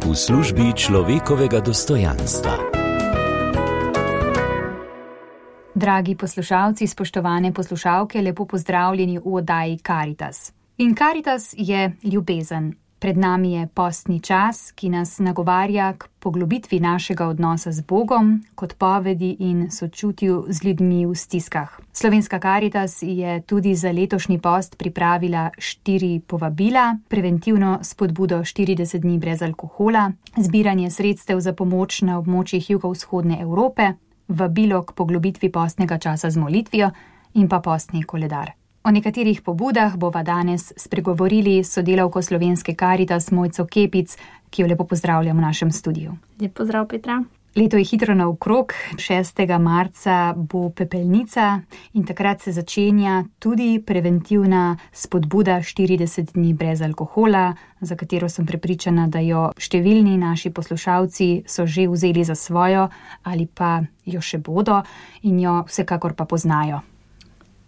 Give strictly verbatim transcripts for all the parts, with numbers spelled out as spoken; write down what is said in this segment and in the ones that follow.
v službi človekovega dostojanstva. Dragi poslušalci, spoštovane poslušalke, lepo pozdravljeni v oddaji Karitas. In Karitas je ljubezen. Pred nami je postni čas, ki nas nagovarja k poglobitvi našega odnosa z Bogom, k odpovedi in sočutju z ljudmi v stiskah. Slovenska Karitas je tudi za letošnji post pripravila štiri povabila, preventivno spodbudo štirideset dni brez alkohola, zbiranje sredstev za pomoč na območjih jugovzhodne Evrope, vabilo k poglobitvi postnega časa z molitvijo in pa postni koledar. O nekaterih pobudah bova danes spregovorili s sodelavko Slovenske Karitas Mojco Kepic, ki jo lepo pozdravljam v našem studiu. Lep pozdrav, Petra. Leto je hitro naokrog, šestega marca bo pepelnica in takrat se začenja tudi preventivna spodbuda štirideset dni brez alkohola, za katero sem prepričana, da jo številni naši poslušalci so že vzeli za svojo ali pa jo še bodo in jo vsekakor pa poznajo.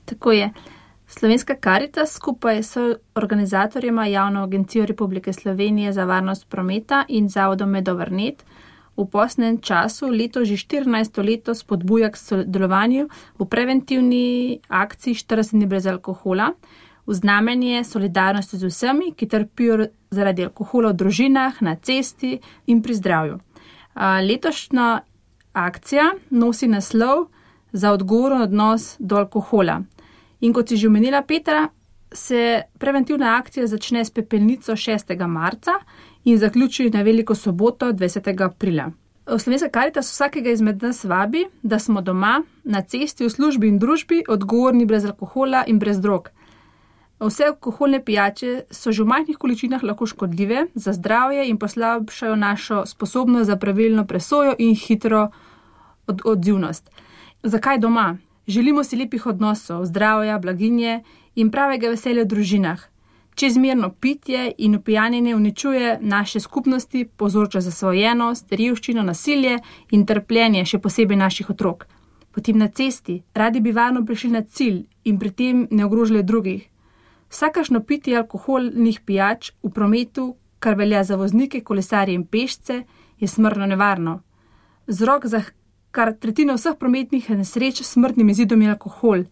Tako je. Slovenska Karitas skupaj s organizatorjema Javno agencijo Republike Slovenije za varnost prometa in Zavodom Medovrnet v postnem času leto že štirinajsto leto spodbuja k sodelovanju v preventivni akciji štirideset dni brez alkohola v znamenje solidarnosti z vsemi, ki trpijo zaradi alkohola v družinah, na cesti in pri zdravju. Letošnja akcija nosi naslov Za odgovoren odnos do alkohola. In kot si že omenila, Petra, se preventivna akcija začne s pepelnico šestega marca in zaključi na veliko soboto dvajsetega aprila. Slovenska Karitas vsakega izmed nas vabi, da smo doma, na cesti, v službi in družbi odgovorni brez alkohola in brez drog. Vse alkoholne pijače so že v majhnih količinah lahko škodljive za zdravje in poslabšajo našo sposobnost za pravilno presojo in hitro od- odzivnost. Zakaj doma? Želimo si lepih odnosov, zdravja, blaginje in pravega veselja v družinah. Čezmerno pitje in opijanjenje uničuje naše skupnosti, povzroča zasvojenost, revščino, nasilje in trpljenje, še posebej naših otrok. Potem na cesti, radi bi varno prišli na cilj in pri tem ne ogrožali drugih. Vsakašno pitje alkoholnih pijač v prometu, kar velja za voznike, kolesarje in pešce, je smrtno nevarno. Vzrok za kar tretjina vseh prometnih nesreč s smrtnim izidom je alkohol.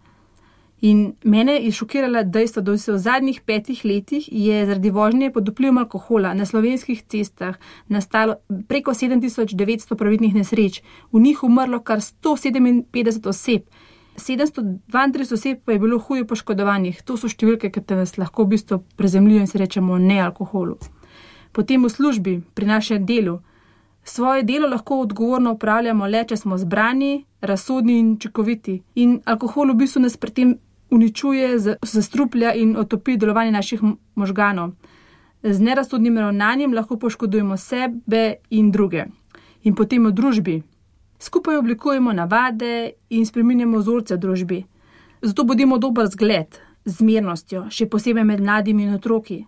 In mene je šokirala dejstvo, da se v zadnjih petih letih je zaradi vožnje pod vplivom alkohola na slovenskih cestah nastalo preko sedem tisoč devetsto prometnih nesreč, v njih umrlo kar sto sedeminpetdeset oseb, sedemsto dvaintrideset oseb pa je bilo huje poškodovanih. To so številke, ki te nas lahko v bistvu prezemljijo in se rečemo ne alkoholu. Potem v službi, pri našem delu, svoje delo lahko odgovorno upravljamo le, če smo zbrani, razsodni in učinkoviti. In alkohol v bistvu nas pri tem uničuje, zastruplja in otopi delovanje naših možganov. Z nerazsodnim ravnanjem lahko poškodujemo sebe in druge. In potem v družbi. Skupaj oblikujemo navade in spreminjamo vzorce v družbi. Zato bodimo dober zgled z zmernostjo, še posebej med mladimi in otroki.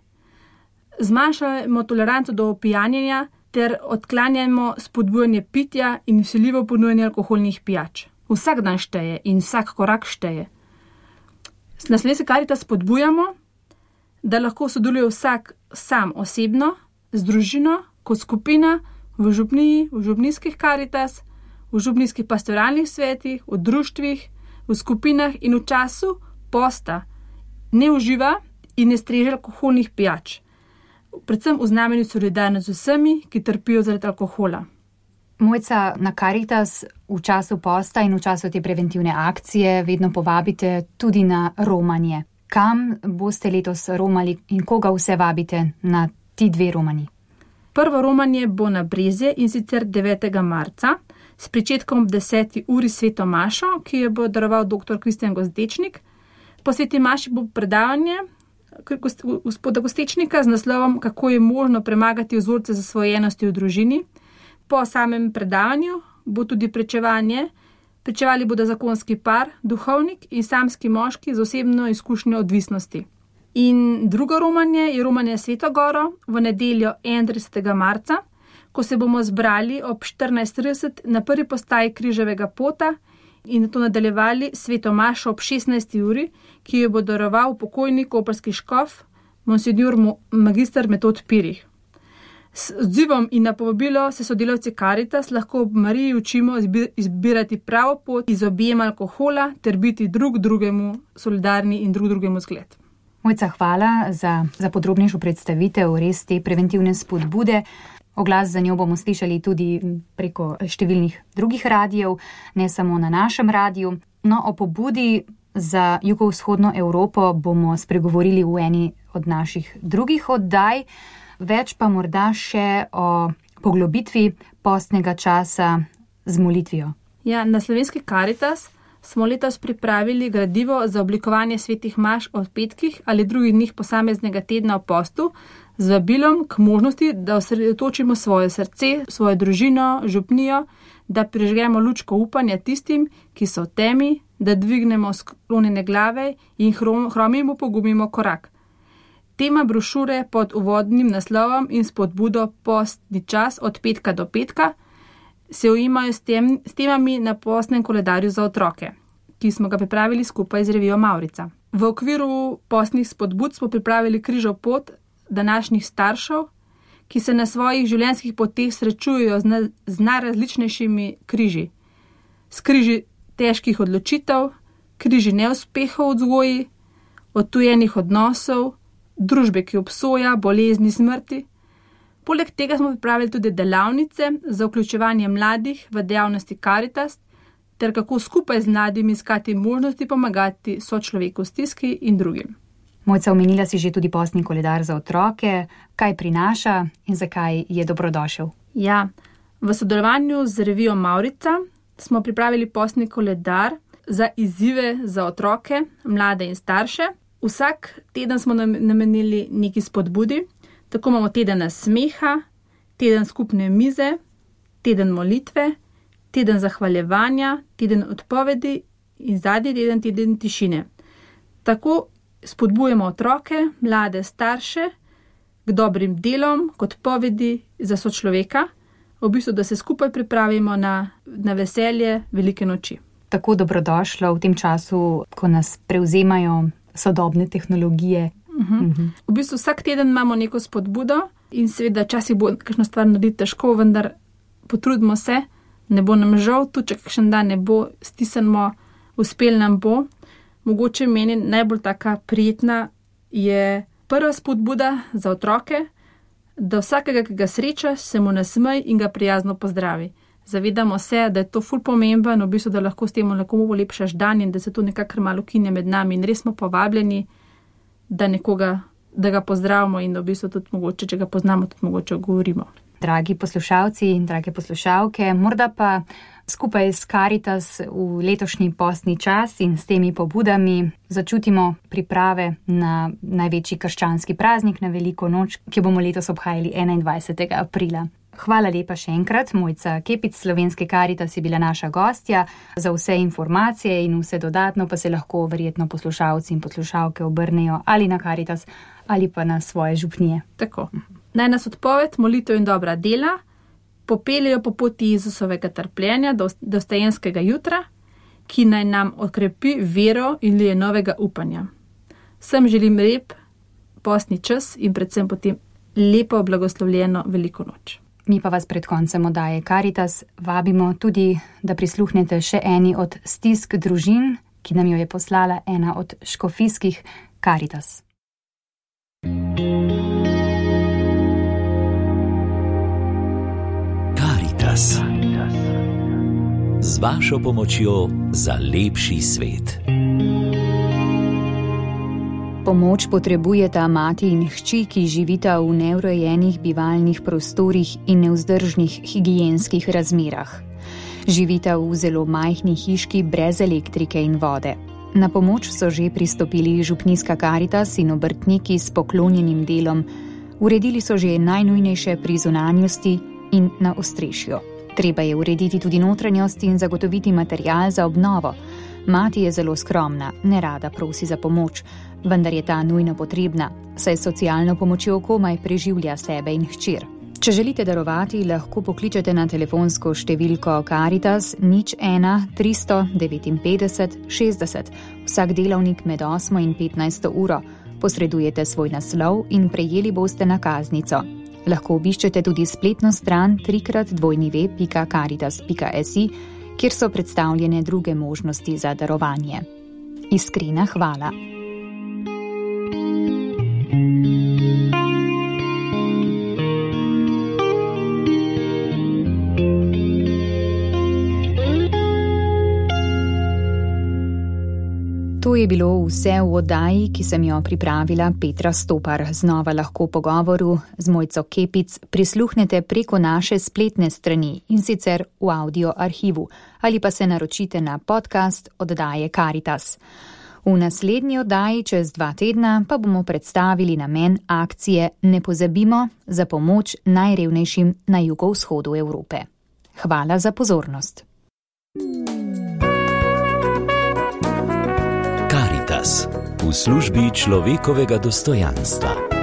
Zmanjšajmo toleranco do pijanjenja ter odklanjajmo spodbujanje pitja in vsiljivo ponujanje alkoholnih pijač. Vsak dan šteje in vsak korak šteje. Na Slovenski Karitas spodbujamo, da lahko sodeluje vsak sam osebno, z družino, kot skupina, v župniji, v župnijskih Karitas, v župnijskih pastoralnih svetih, v društvih, v skupinah in v času posta ne uživa in ne streže alkoholnih pijač. Predvsem v znamenju solidarnosti z vsemi, ki trpijo zaradi alkohola. Mojca, na Karitas v času posta in v času te preventivne akcije vedno povabite tudi na romanje. Kam boste letos romali in koga vse vabite na ti dve romanji? Prvo romanje bo na Brezje in sicer devetega marca s pričetkom ob deseti uri sveto mašo, ki jo bo daroval doktor Kristjan Gozdečnik. Po sveti maši bo predavanje gospoda Gostečnika z naslovom Kako je možno premagati vzorce zasvojenosti v družini. Po samem predavanju bo tudi pričevanje. Pričevali bodo zakonski par, duhovnik in samski moški z osebno izkušnjo odvisnosti. In drugo romanje je romanje Sveto Goro v nedeljo enaintridesetega marca, ko se bomo zbrali ob štirinajst trideset na prvi postaji Križevega pota in nato nadaljevali sveto mašo ob šestnajsti uri, ki jo bo daroval pokojni koprski škof, monsinjor magister Metod Pirih. S odzivom in na povabilo se sodelavci Karitas lahko ob Mariji učimo izbirati pravo pot iz objema alkohola ter biti drug drugemu solidarni in drug drugemu zgled. Mojca, hvala za, za podrobnejšo predstavitev res te preventivne spodbude. Oglas za njo bomo slišali tudi preko številnih drugih radijev, ne samo na našem radiju. No, o pobudi za jugovzhodno Evropo bomo spregovorili v eni od naših drugih oddaj. Več pa morda še o poglobitvi postnega časa z molitvijo. Ja, na Slovenski Karitas smo letos pripravili gradivo za oblikovanje svetih maš o petkih ali drugih dneh posameznega tedna v postu z vabilom k možnosti, da osredotočimo svoje srce, svojo družino, župnijo, da prižgemo lučko upanja tistim, ki so v temi, da dvignemo sklonjene glave in hromimo pogumimo korak. Tema brošure pod uvodnim naslovom in spodbudo Postni čas od petka do petka se ujimajo s, tem, s temami na postnem koledarju za otroke, ki smo ga pripravili skupaj z revijo Mavrica. V okviru postnih spodbud smo pripravili križov pot današnjih staršev, ki se na svojih življenjskih poteh srečujejo z, na, z najrazličnejšimi križi. S križi težkih odločitev, križi neuspehov v vzgoji, odtujenih odnosov, družbe, ki obsoja, bolezni, smrti. Poleg tega smo pripravili tudi delavnice za vključevanje mladih v dejavnosti Karitas, ter kako skupaj z mladimi iskati možnosti pomagati sočloveku v stiski in drugim. Mojca, omenila si že tudi postni koledar za otroke. Kaj prinaša in zakaj je dobrodošel? Ja, v sodelovanju z revijo Mavrica smo pripravili postni koledar za izzive za otroke, mlade in starše. Vsak teden smo namenili neki spodbudi, tako imamo teden smeha, teden skupne mize, teden molitve, teden zahvaljevanja, teden odpovedi in zadnji teden teden tišine. Tako spodbujemo otroke, mlade, starše k dobrim delom, k odpovedi za sočloveka, v bistvu, da se skupaj pripravimo na, na veselje velike noči. Tako dobrodošlo v tem času, ko nas prevzemajo sodobne tehnologije. Uh-huh. Uh-huh. V bistvu vsak teden imamo neko spodbudo in seveda včasih bo kakšno stvar narediti težko, vendar potrudimo se, ne bo nam žal, tudi če kakšen dan ne bo, stisnemo, uspel nam bo. Mogoče meni najbolj taka prijetna je prva spodbuda za otroke, da vsakega, ki ga sreča, se mu nasmej in ga prijazno pozdravi. Zavedamo se, da je to ful pomemben, v bistvu, da lahko s tem nekomu polepšaš dan in da se to nekako malo kine med nami in res smo povabljeni, da nekoga, da ga pozdravimo in da v bistvu tudi mogoče, če ga poznamo, tudi mogoče govorimo. Dragi poslušalci in drage poslušalke, morda pa skupaj s Karitas v letošnji postni čas in s temi pobudami začutimo priprave na največji krščanski praznik, na veliko noč, ki bomo letos obhajali enaindvajsetega aprila. Hvala lepa še enkrat, Mojca Kepic, Slovenske Karitas je bila naša gostja. Za vse informacije in vse dodatno pa se lahko verjetno poslušalci in poslušalke obrnejo ali na Karitas ali pa na svoje župnije. Tako. Naj nas odpoved, molitev in dobra dela popeljejo po poti Jezusovega trpljenja do dostojanskega jutra, ki naj nam okrepi vero in lije novega upanja. Vsem želim lep postni čas in predvsem potem lepo blagoslovljeno veliko noč. Mi pa vas pred koncem oddaje Karitas vabimo tudi, da prisluhnete še eni od stisk družin, ki nam jo je poslala ena od škofijskih Karitas. Karitas. Z vašo pomočjo za lepši svet. Pomoč potrebujeta mati in hči, ki živita v neurejenih bivalnih prostorih in nevzdržnih higienskih razmerah. Živita v zelo majhni hiški brez elektrike in vode. Na pomoč so že pristopili župnijska Karitas in obrtniki s poklonjenim delom. Uredili so že najnujnejše pri zunanjosti in na ostrešju. Treba je urediti tudi notranjost in zagotoviti material za obnovo. Mati je zelo skromna, nerada prosi za pomoč, vendar je ta nujno potrebna, saj s socialno pomočjo komaj preživlja sebe in hčer. Če želite darovati, lahko pokličete na telefonsko številko Karitas nič ena tristo devetinpetdeset šestdeset. Vsak delavnik med osmo in petnajsto uro. Posredujete svoj naslov in prejeli boste nakaznico. Lahko obiščete tudi spletno stran trikrat dvojni ve pika karitas pika si, kjer so predstavljene druge možnosti za darovanje. Iskrena hvala. To je bilo vse v oddaji, ki sem jo pripravila Petra Stopar. Znova lahko pogovoru z Mojco Kepic prisluhnete preko naše spletne strani in sicer v audio arhivu ali pa se naročite na podcast oddaje Karitas. V naslednji oddaji čez dva tedna pa bomo predstavili namen akcije Ne pozabimo za pomoč najrevnejšim na jugovzhodu Evrope. Hvala za pozornost. Karitas v službi človekovega dostojanstva.